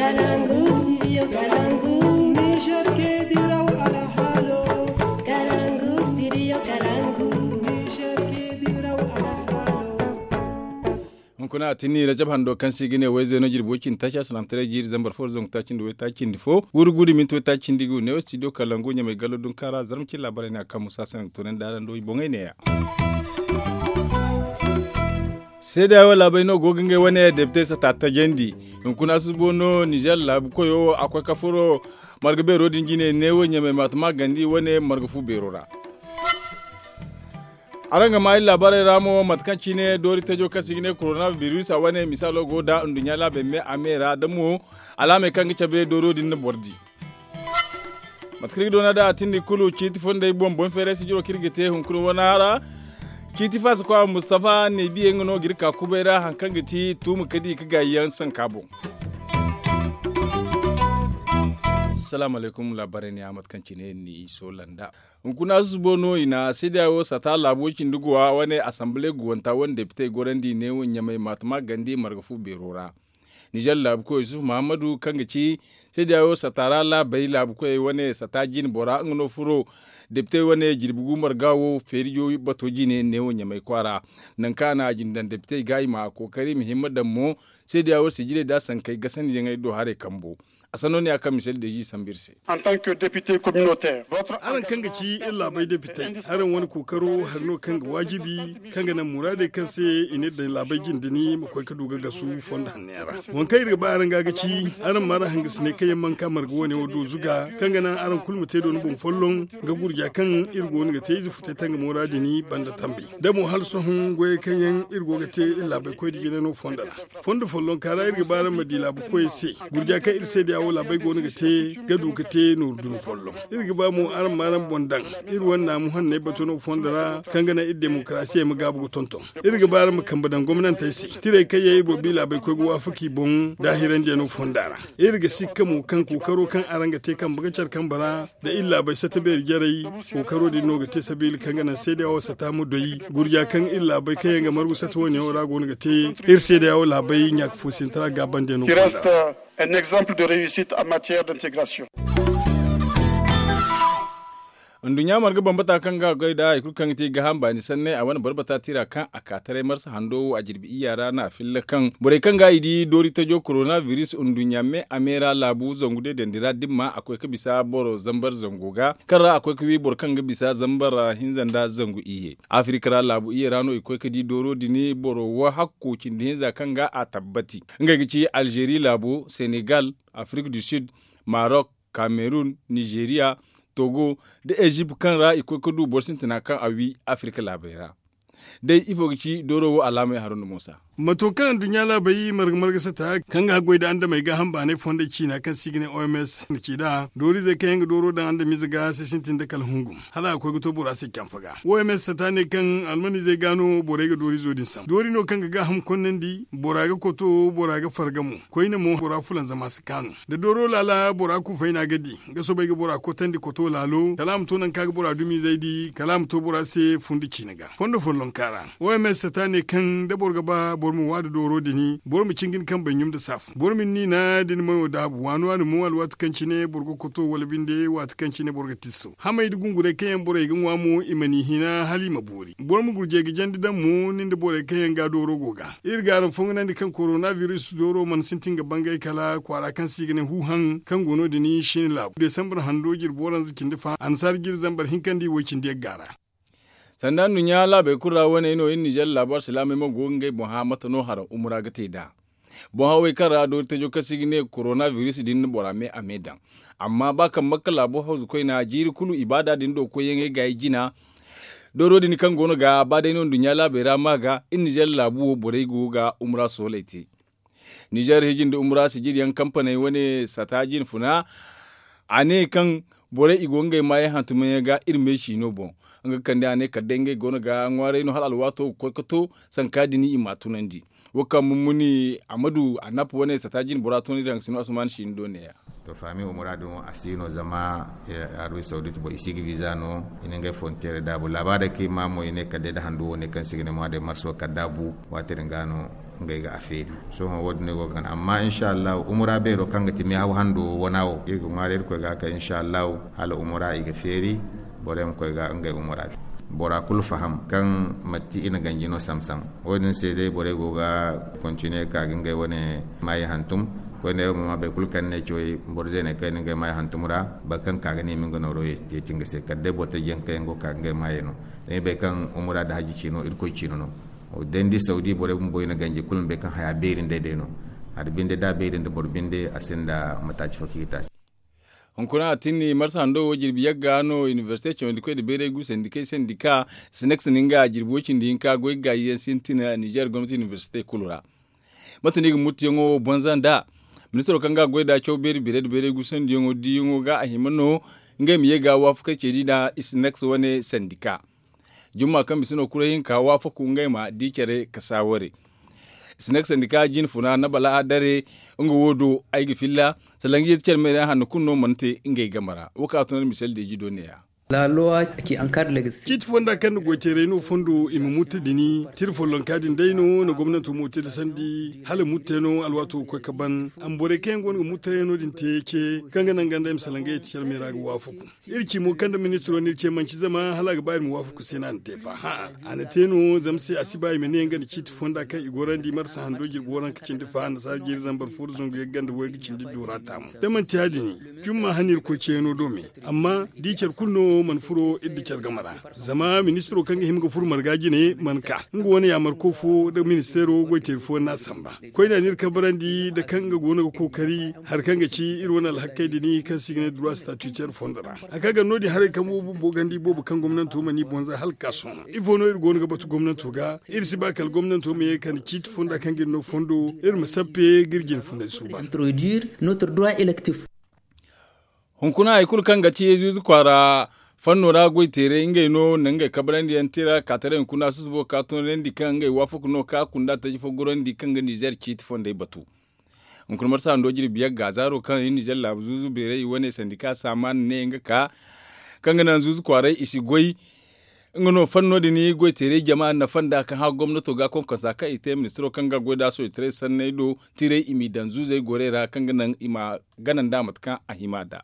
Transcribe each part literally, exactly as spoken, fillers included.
Kalangu studio Kalangu. Niger ke diraw alhalo. Kalangu studio Kalangu. Niger ke diraw alhalo. Hunkuna a tinni rajab hando kaŋ se i ga ne wayzeeno jirbi way cindi taaci a salaŋ taray jiiri zambar fo zangu taaci nda way taaci nda fo. Wuri gudu minti way taaci nda i ga wu ne wo studio Kalangu ɲamay gallo dunkaara zarma cin laabaray ne a kaŋ musa sanaŋ ga toonandi araŋ do i boŋey ne-ya. Seedeya wo laabay no go ga ngey wane depite sata tajandi. Hunkuna susubo no nizer laabu koyo a koy ka furo marga beero din jine ne wo ɲamay maatama gandi wane marga fu beero ra. Araŋ ga ma iri laabaarey ra mo mate kaŋ cine doori tajo kaŋ se i ga ne korona biris a wane misaalo go nda nduɲɲa laabey me a me ra da mo alaamey kaŋ ga cabe dooro din na boro di. Mate kaŋ iri ga doona nd'a a tindi kulu ciiti fondey boŋ boŋ feeray sijiro kaŋ iri ga te hunkuna wana ra. Ciiti faasa kwa mustafa ne biye nga no ga iri ka kubay ra hari kaŋ ga ti tuuma ka di ka gaayi yaŋ sanka boŋ. Salaamu alaykum laabaarey ne a mate kaŋ cine ni soola nd'a. Hunkuna susubo no i na seedeya wo sata laabo cindi guwa wane asambale guwanta wane depitey gorandi ne wo ɲamay maatama gandi marga fu beero ra. Nizer laabu koy yusuf muhammadu kaŋ ga ci seedeya wo sata ra laabey laabu koyey wane sata jine bora nga no furo depitey wane jirbi gu marga wo feerijo bato jine ne wo ɲamay kwaara. Nangu kaŋ a na a jine daŋ depitey ga i ma kookari i ma himma daŋ mo seedeya wo sijirey nda sankey gasandi yaŋey do haray kambo. A sanno ne a kaŋ misali deezi sambu iri se. Araŋ kaŋ ga ci iri laabey depitey, araŋ wane kookaro hari no kaŋ ga waajibi kaŋ ga naŋ muraadey kaŋ se i n'iri daŋ laabey jinde ni ma koy ga du ga gasu fondo hanno yaŋ ra. Waŋ kaŋ iri ga ba araŋ ga ga ci, araŋ ma araŋ hangasiney kaŋ yaŋ mana ka marga wane wo do zuga kaŋ ga naŋ araŋ kulu ma te doona boŋ folloŋ ga gurja kaŋ iri go no ga te ize futey tangamo ra din banda tambi da mo hala sohõ goyey kaŋ yaŋ iri go ga te iri laabey koy da jine no fondo ra. Fondo follonka ra iri ga ba araŋ ma di laabu koyey se gurja kaŋ iri seedeya wo laabey go no ga te ga du ga te nooru dumi folloŋ. Iri ga ba mo araŋ ma araŋ boŋ daŋ iri wane naamu hanney bato no fondo ra kaŋ ga naŋ iri demokarasiyey ma gaabu ga tonton. Iri ga ba araŋ ma kambe daŋ gomnantey se tirey kaŋ yaŋ iri boro bi laabey koy ga waafaka i boŋ da a hirandiyaŋ no fonda ra. Iri ga sikka mo kaŋ kookaro kaŋ araŋ ga te kambe ga care kambe ra da iri laabey sata beeri jarey. Kookaro din no ga te sabiila kaŋ ga naŋ seedeya wo sata ma doy gurja kaŋ iri laabey kaŋ yaŋ ga margu sata wane yaŋo ra go no ga te iri seedeya wo laabey ɲaaka fo sintara gaabandiyaŋ no fonda ra. Un exemple de réussite en matière d'intégration. Nduɲɲa marga bambata kaŋ ga goy nd'a hari kulu kaŋ ga te gaaham baani sanney a wane barbata tira kaŋ a ka taray marsa hando wo a jirbi iyya ra no a filla kaŋ borey kaŋ ga i di doori tajo korona biris nduɲɲa me a me ra laabu zangu deedandi ra dimma a koy ga bisa boro zambar zango ga kaŋ ra a koy ga wi boro kaŋ ga bisa zambar hinza nda zangu iyye. Afirika ra laabu iyye ra no i koy ga di dooro din boro wo hakko cindi hinza kaŋ ga a tabbati ngey ga ci alzeeri laabo, senegal, afirik du sud, marok, kamerun, nizeriya, togo, nda ezipt kaŋ ra i koy ga du boro sintina kaŋ a wi afirika laabey ra. Day ifo ga ci dooro wo alaamey haro nda moosa? Mato kaŋ nduɲɲa laabey marga marga sata kaŋ ga haggoy nda andamey gaaham baanay fondey ciina kaŋ se i ga ne oms na ci nd'a dooriizey kaŋ yaŋ ga dooro daŋ andamiize ga se sintin nda kala hungum hala a ga koy ga to bora se canfa ga. Oms sata ne kaŋ almaniizey ga no borey ga dooriizo din sambu doori no kaŋ ga gaaham konnandi bora ga koto bora ga farga mo. Koyne mo bora fulanzama si kaanu da dooro laala bora kufayna ga di ga soobay ga bora kotandi koto laalo kala a ma to nangu kaŋ a ga bora dumiizey di kala a ma to bora se fundi ciine ga fondo follonka ra. Oms sata ne kaŋ da boro ga ba boro ma wa nda dooro din boro ma cingin kaŋ bay ɲum nda saafu boro ma ni niina da ni mayo daabu waani waani mo alwaati kaŋ cine boro ga koto wala binde waati kaŋ cine boro ga tisso hamey nda gungurey kaŋ yaŋ borey ga ŋwa mo i ma ni hina hala i ma boori boro ma gurjey ga jandi daŋ mo nin da borey kaŋ yaŋ ga dooro go ga. Iri ga araŋ fonganandi kaŋ korona biris dooro mana sintin ga bangay kala kwaara kaŋ se i ga ne huuhaŋ kaŋ go no- din shin laabu desambar hando jirbi waranza cindi fa annasaara jiri zambar hinka nda i way cindi yagga ra. Sanda nduɲɲa laabey kulu ra wane no iri nizer laabu alsilaamey mo go ga ngey boŋ hã mate no haraŋ umura ga te nd'a. Boŋ hawey kaŋ ra doori tajo kaŋ se i ga ne korona biris din na bora me a me daŋ. Amma ba kaŋ makka laabu hawzu koyna jiiri kulu ibaada din do koyyaŋey gaayi jina. Dooro din kaŋ go no ga ba day no nduɲɲa laabey ra ma ga iri nizer laabu wo borey go ga umura sooley te. Nizer hiji nda umura sijiriyaŋ kampaney wane sata jinfuna a ne kaŋ borey i go ngey maayey hantumayaŋ ga iri meesi no boŋ. Nga kande a ne kala day ngey go no ga ŋwaaray no hala alwaato ga koy ga to sanka din i m'a tunandi. Wo kaŋ mummuni amadu anap wane sata jin bora tunandi daŋ sino asuman siino do neeya. To faami wo muraadu mo a si no zama arabi sawdit boŋ i si ga visa no i na ngey fonteere daabu laabaarey kaŋ i ma mo i ne kala day nda handu wo ne kaŋ si ga ne mo a day marso kala daabu. Waati din ga no Ngey ga a feeri. Sohõ wo- din no i go ga gana amma insa allahu umura beero kaŋ ga ti meehaw hando wana wo iri ga ŋwaari irkoy ga a kay insa allahu hala umura i ga feeri. Borey ma koy ga ngey umura te. Bora kulu faham kaŋ mate i na ganji no sam-sam. Wo- din se day borey go ga kontine ga ka ga ngey wane maayi hantum. Koyne wo ma bay kulu kaŋ ni ne cawey boro zeeney kaŋ i na ngey maayi hantum ra. Boro kaŋ ka ga ne i ma nga nooro yeeti nga se kala day boro taji yaŋ kaŋ yaŋ go ga ka ga ngey maayey no. Zama i bay kaŋ umura nda haji ciino irkoy ciino no. Day ni di sawdi borey bumbo i na ganji kulu ma bay kaŋ haya beeri nd'ey day no. Hari binde da a beeri nda boro binde a sinda mataaci fo kaŋ i ga te a se. Hunkuna a tinni marsa hando wo jirbi yagga no inibersite cawandi koy nda bayray gu sandikey sandika. Sinex na nga jirbi wo cindi hinka goy gaayi yaŋ sintina nizer gomnati inibersite kulu ra. Mate no i ga muttuyaŋo wo bonza nd'a? Ministiro kaŋ ga a goy nd'a caw beeri beerey nda bayray gu sandiyaŋo diiyaŋo ga a hima no ngey ma ye ga waafakey ceedi nd'a sinex wane sandika. Jumma kaŋ bisa no kuray hinka waafaku ngey ma di care ka saaware. Sinex sandika jine funa na bala a dare. Nga wo do ay ga filla. Salaŋ ga yeeti care meera yaŋ hanno kulu no mana te ngey game ra wo kaŋ a tun iri misali deeji do ne- ya. Ciiti fonda kaŋ na goy teeray no fondo i ma mutti dini tira follonka din day no na gomnanto mo te da sandi hala mutte no alwaato ga koy ka ban. Amma borey kaŋ yaŋ go no ga muttayaŋo din te ce kaŋ ga naŋ ganda i ma salaŋ ga yeeti care meera ga waafaku. Iri ci mo kaŋ nda ministiro no iri ce manci zama hala a ga ba iri ma waafaku se no a na te fa hã'a. A na te no zama se a si ba i ma ne nga nda ciiti fonda kaŋ i gorandi marsa hando jirbi waranka cindi fa annasaara jiiri zambar fo nda zangu yagga nda waygu cindi iddu ra taamu. Da manti ya- din jumma hane iri koy ceeyaŋo do me. Amma da i care kulu no mana furo iri nda care game ra. Zama ministiro kaŋ ga hima ga furo marga jine mana ka nga wane yaamarko fo nda ministeero goy teeri fooyaŋ no a samba. Koyne a na iri kabarandi nda kaŋ nga go no ga kookari hari kaŋ ga ci iri wane alhakey din kaŋ se i ga ne duruwa statutaire fondo ra. Hari kaŋ a gar no- din haray kambo bumbo ganda i boobo kaŋ gomnanto mana i boŋ za hala ga ka sohõ ifo no iri go no ga batu gomnanto ga? Iri si ba kala gomnanto ma ye ga kande ciiti fonda kaŋ ga iri no fondo iri ma sappe ga iri jine funday suuban. Hunkuna hari kulu kaŋ ga ci yeezu-ize kwaara fanno ra goy teeray ngey no na ngey kabarandi yaŋ tira kaataray hunkuna susubo ga ka tunanandi kaŋ ngey waafaku no ga ka kunda taji fo gorandi kaŋ ga nizer ciiti fondey batu. Hunkuna marsa hando jirbi yagga zaaro kaŋ i nizer laabu zuuzu beeray i wane sandika saamaana ne nga ka kaŋ ga naŋ zuuzu kwaaray i si goy. Nga no fanno din goy teeray jama nafa nda kaŋ hã gomnato ga konkonsa kaŋ i te ministiro kaŋ ga goy da sohõ i taray sanney do tiray i m'i daŋ zuuzey gorey ra kaŋ ga naŋ i ma gana nda mate kaŋ a hima nd'a.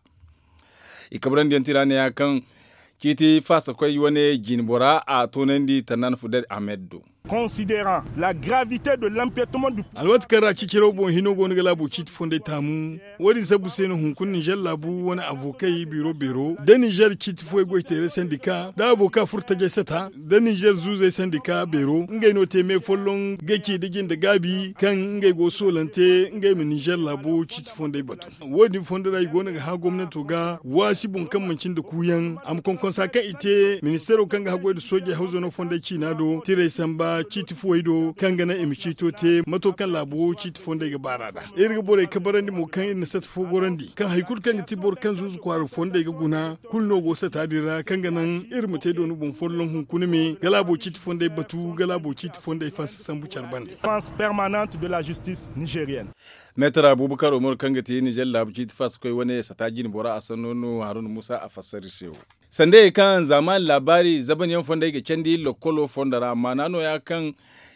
I kabrandi yaŋ tira ne ya kaŋ ciiti faasa koy wane jine bora a toonandi tannan fuded ahmed do. Considérant la gravité de l'empiètement du. Alwaati kaŋ ra ciciraw boŋ hino go no ga laabo ciiti fondey taamu. Wo- din sabbu se no hunkuna nizer laabu wane avokey biro beero da nizer ciiti fooyaŋ goy teeray sandika nda avoka furo tajey sata nda nizer zuuzey sandika beero ngey no te me folloŋ ga ci nda jinde gaabi kaŋ ngey go soolante ngey ma nizer laabo ciiti fondey batu. Wo- din fondo ra i go no ga hã gomnanto ga waasi boŋ kaŋ manci nda kuuyaŋ a ma konkonsa kaŋ i te ministeero kaŋ ga haggoy nda soojey hawzano fondey ciina do tiray samba ciiti fuwey do kaŋ ga naŋ i ma ciito te mato kaŋ laabo ciiti fondey ga baar'a nd'a. Iri ga borey kabarandi mo kaŋ iri na sata fo gorandi kaŋ hari kulu kaŋ ga ti boro kaŋ zuuzu kwaara fondey ga guna kulu no go sata din ra kaŋ ga naŋ iri ma te dooni boŋ folloŋ hunkuna me ga laabo ciiti fondey batu ga laabo ciiti fondey fansa sambu care bande. Permanente de la justice nigerienne. Meetar abubakar umaru kaŋ ga ti nizer laabu ciiti faasa koy wane sata jine bora a sanno no haruna musa a fassara iri se wo. Sandayey kaŋ zaamaani laabaari zabanyaŋ fondey ga candi lokkolo fondo ra maana nooya kaŋ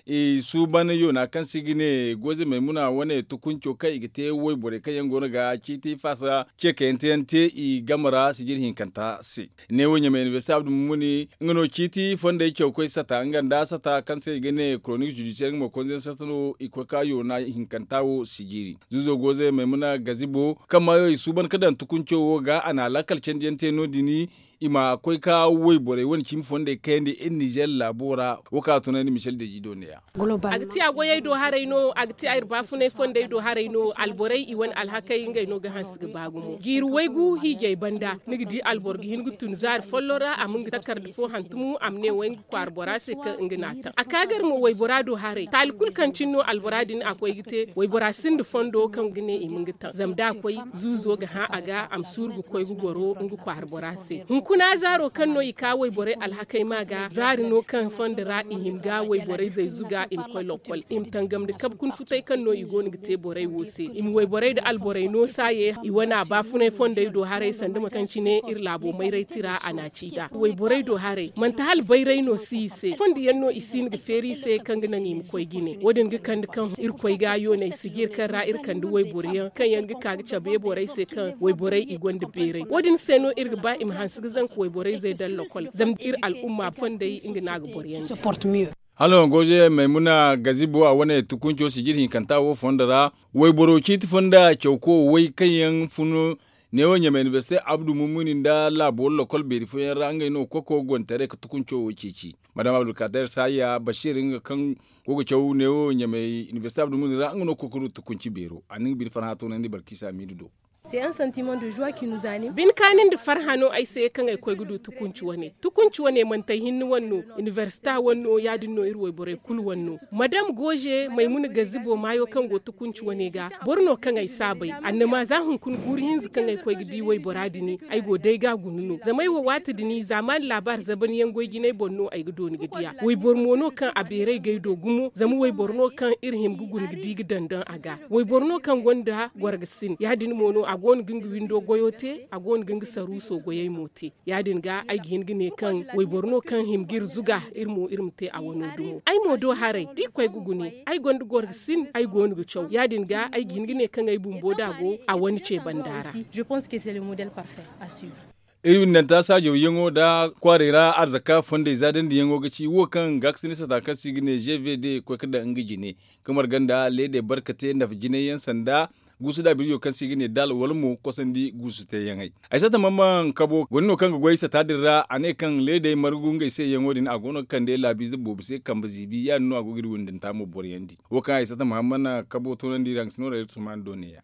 i suuban yoona kaŋ se i ga ne goze maymuna wane tukunco kaŋ i ga te wayborey kaŋ yaŋ go no ga ciiti faasa ce kayante yaŋ te i game ra sijir hinkanta se. Neewo ɲamay inibersite abdu mumuni nga no ciiti fondey cawkoy sata nga nda sata kaŋ se i ga ne koronik judisiyar nga mo konze yaŋ sata no i koy ka yoona hinkanta wo sijiri zuuzo goze maymuna gazibo kaŋ maayo i suuban ka daŋ tukunco wo ga a na laakal candiyaŋ te no- din i ma koy ka wayborey wane cimi fondey kayandi iri nizer laabo ra wo kaŋ a tunandi michel deji do ne- ya. A ga ti a goyey do haray no a ga ti a iri baafunay fondey do haray no alborey i wane alhakey ngey no ga hanse ga ba gumo jiiri waygu hiijay banda ni ga di alboro ga hin ga tun zaari folloŋ ra a ma nga takarda fo hantumu a ma ne way nga kwaara bora se kaŋ nga n'a taŋ a ka gar mo waybora do haray taali kulu kaŋ cine no albora din a koy ga te waybora sinda fondo kaŋ ga ne i ma nga taŋ zama da a koy zuuzo ga hã a ga a ma suuru ga koy ga goro nga kwaara bora se. Kuna zaaro kaŋ no i ka wayborey alhakey ma ga zaari no kaŋ fondo ra i hin ga wayborey zayzu ga i ma koy lokkol i ma tangam nda kabe kuna futay kaŋ no i go no ga te borey wo se i ma wayborey nda alborey no saaye i wane a baafunay fondey do haray sanda mate kaŋ cine iri laabo mayray tira a na a ci nd'a wayborey do haray manti hala bayray no si i se fondo yaŋ no i si hin ga feeri i se kaŋ ga naŋ i ma koy jine wo- din ga kande kaŋ irkoy ga yooney sijir kaŋ ra iri kande wayboro yaŋ kaŋ yaŋ ga ka ga cabe borey se kaŋ wayborey i gonda beeray wo- din se no iri ga ba i ma hanse ga zanka wayborey zay daŋ lokol zama iri al'umma fondey nga no a ga boro yaŋ. Hala no goze maymuna gazibo a wane tukunco sijir hinkanta wo fondo ra wayboro ciiti fonda cawko way kaŋ yaŋ fun neewo ɲamay inibersite abdu mummuni nda laabo lokol beeri fooyaŋ ra ngey no koko gontaray ga tukunco wo ceeci madam abdulkader saya bashir nga kaŋ go ga caw neewo ɲamay inibersite abdu mummuni ra nga no koko du tukunci beero a na nga bine farhã toonandi barkiisa miidu do. Bine kaani nda farhã no ay se kaŋ ay koy ga du tukunci wane tukunci wane manti ay hinne wane no inibersita wane no ya- din no iri wayborey kulu wane no madam goze maymuna gazibo maayo kaŋ go tukunci wane ga boro no kaŋ ay saabay annama za hunkuna guuru hinza kaŋ ay koy ga di waybora din ay go day ga a guna no zama ay wo waati din zaamaani laabaari zabaniyaŋ goy jinay boŋ no ay ga dooni ga di a wayboro mo no kaŋ a beeray g'ay do gumo zama wayboro no kaŋ iri hima ga guna ga di ga daŋ daŋ a ga wayboro no kaŋ gonda gorga sin ya- din mo no a go no ga nga windo goyo te a go no ga nga saruuso goyey mo te ya- din ga ay ga hin ga ne kaŋ wayboro no kaŋ hima ga iri zuga iri mo iri ma te a wano dumo ay mo do haray da i koy ga gune ay gonda gorga sin ay go no ga caw ya- din ga ay ga hin ga ne kaŋ ay bumbo da go a wane ce banda ra. Iri windanta saajaw yaŋo nda kwaaray ra arzaka fondey za dandiyaŋo ga ci wo kaŋ gaakasina sata kaŋ se i ga ne gvd koy ga daŋ nga jine ga marga nda leedey barkate nafa jinay yaŋ sanda guusu da birjo kaŋ se i ga ne daala wala mo kosandi guusu teeyaŋey ay sata mamman kabo gone no kaŋ ga goy sata din ra a ne kaŋ leedey margu ngey se yaŋo din a go no ga kande laabiize boobo se kambe ziibi ya- din no a go ga iri windanta mo boroyandi wo kaŋ ay sata mamman kabo toonandi ra nga si no ra iri suman do ne- ya.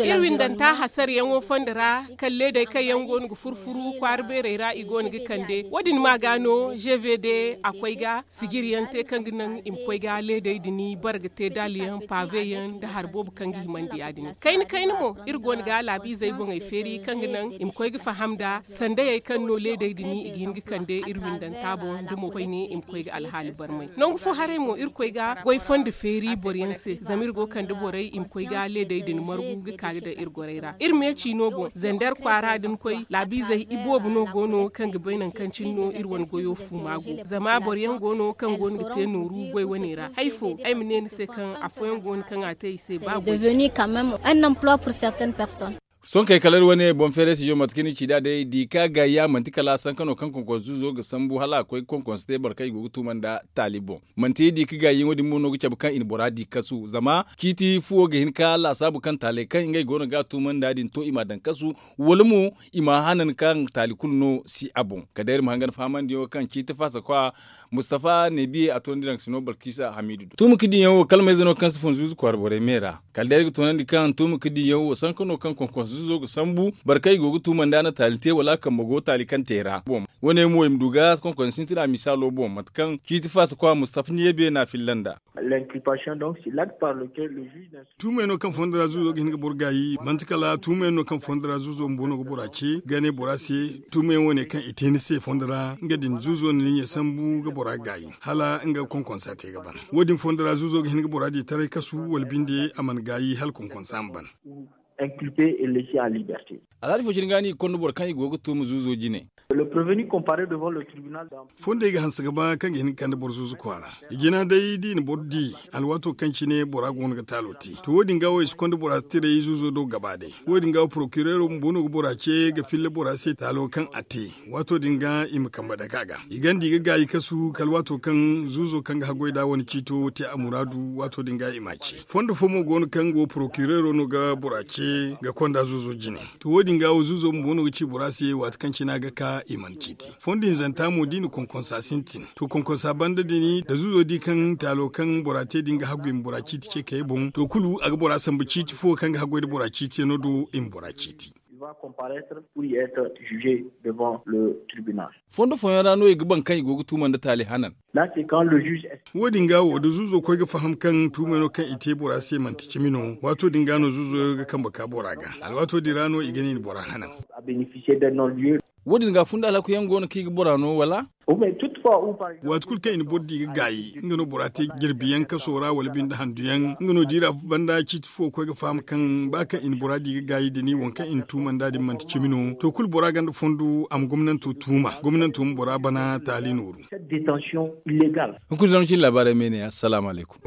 Iri windanta hasaryaŋo fondo ra kaŋ leedey kaŋ yaŋ go no ga furu-furu kwaara beerey ra i go no ga kande wo- din ma ga no gvd a koy ga sijir yaŋ te kaŋ ga naŋ i ma koy ga leedey din barga te daali yaŋ paabe yaŋ nda hari boobo kaŋ ga himandi ya- din kayna kayna mo iri go no ga laabiizey boŋey feeri kaŋ ga naŋ i ma koy ga faham nda sandayey kaŋ no leedey din i ga hin ga kande iri windanta boŋ nda mo koyne i ma koy ga alhaali barmay nangu fo haray mo iri koy ga goy fondo feeri boro yaŋ se zama iri go ga kande borey i ma koy ga leedey din margu ga ka ga daŋ iri gorey ra iri meeci no boŋ zander kwaara din koy laabiizey iboobo no go no kaŋ ga bay nangu kaŋ cine no iri wane goyo fuuma go zama boro yaŋ go no kaŋ go no ga te nooru goy wane ra hari fo ay ma ne ni se kaŋ afooyaŋ go no kaŋ a te i se ba goy. Sohõ kay kala iri wane boŋ feeray sijo mate kaŋ ni ci nd'a day di ka gaayi ya manti kala sanka no kaŋ konkonso zuuzo ga sambu hala a koy ga konkonso te boro kaŋ i go ga tuuma nda taali boŋ manti di ka gaayi yaŋo din mo no ga cabe kaŋ i na bora di kasu zama ciiti fuwo ga hin ka laasaabu kaŋ taaley kaŋ ngey go no ga a tuuma nda din to i m'a daŋ kasu wala mo i m'a hanan kaŋ taali kulu no si a boŋ kala day iri ma hangan fahamandiyaŋo kaŋ ciiti faasa kwa mustafa nebiye a toonandi daŋ sino balkisa hamiidu do tuuma ka diyaŋ wo kala mayze no kaŋ si fun zuuzu kwaara borey me ra kala day iri ga toonandi kaŋ tuuma ka diyaŋ wo sanka no kaŋ konkonso zuuzo ga sambu boro kaŋ i go ga tuuma nda a na taali te wala a kambe go taali kaŋ te ra boŋ wane mo i ma du ga konkonso sintina misaalo boŋ mate kaŋ ciiti faasa kwa mustafa nebiye no a filla nda. Tuumey no kaŋ fondo ra zuuzo ga hin ga boro gaayi manti kala tuumey no kaŋ fondo ra zuuzo bumbo no ga bora ce ga ne bora se tuumey wane kaŋ i te ni se fondo ra nga din zuuzo na ni ɲa sambu ga bora gaayi hala nga ga konkonsa te ga ban wo- din fondo ra zuuzo ga hin ga bora di taray kasu wala binde a mana gaayi hala konkonsa ma ban. Alhaali fo cine ga no i ga konda boro kaŋ i go ga tuuma zuuzo jine. Fondey ga hanse ga ba kaŋ ga hin ga kande boro zuuzu kwaara i jina day da i na boro di alwaato kaŋ cine bora go no ga taalo te to wo- din ga wo i si konda bora tiray zuuzo do gaba day wo- din ga wo porokireero bumbo no ga bora ce ga filla bora se taalo kaŋ a te waato din ga i ma kambe dake a ga i ganda i ga gaayi kasu kala waato kaŋ zuuzo kaŋ ga haggoy nd'a wane ciito te a muraadu waato din ga i m'a ce fondo fo mo go no kaŋ go porokireero no ga bora ce ga konda zuuzo jine to wo- din ga wo zuuzo bumbo no ga ci bora se waati kaŋ cine a ga ka i mana ciiti fondo hinzanta mo da i na konkonsa sintin to konkonsa banda din da zuuzo di kaŋ taalo kaŋ bora te din ga haggu i ma bora ciiti ce kayey boŋ to kulu a ga bora sambu ciiti fo kaŋ ga haggoy nda bora ciiti yaŋo do i ma bora ciiti. Fondo fooyaŋ ra no i ga baŋ kaŋ i go ga tuuma nda taali hanan. Wo- din ga wo da zuuzo koy ga faham kaŋ tuumey no kaŋ i te bora se manti cimi no waato din ga no zuuzo ga kambe ka bora ga alwaato din ra no i ga ne i na bora hanan. Wo- din ga funda alhaku yaŋ go no kaŋ i ga bora no wala? Waati kulu kaŋ i na boro di ga gaayi nga no bora te jirbi yaŋ kaso ra wala binde handu yaŋ nga no diira banda ciiti fo ga koy ga faham kaŋ ba kaŋ i na bora di ga gaayi da ni waŋ kaŋ i na tuuma nd'a din manti cimi no to kulu bora gonda fondo a ma gomnanto tuuma gomnanto ma bora bana taali nooru. Hunkuna zama cine laabaarey ma ay ne assalaamu alaykum.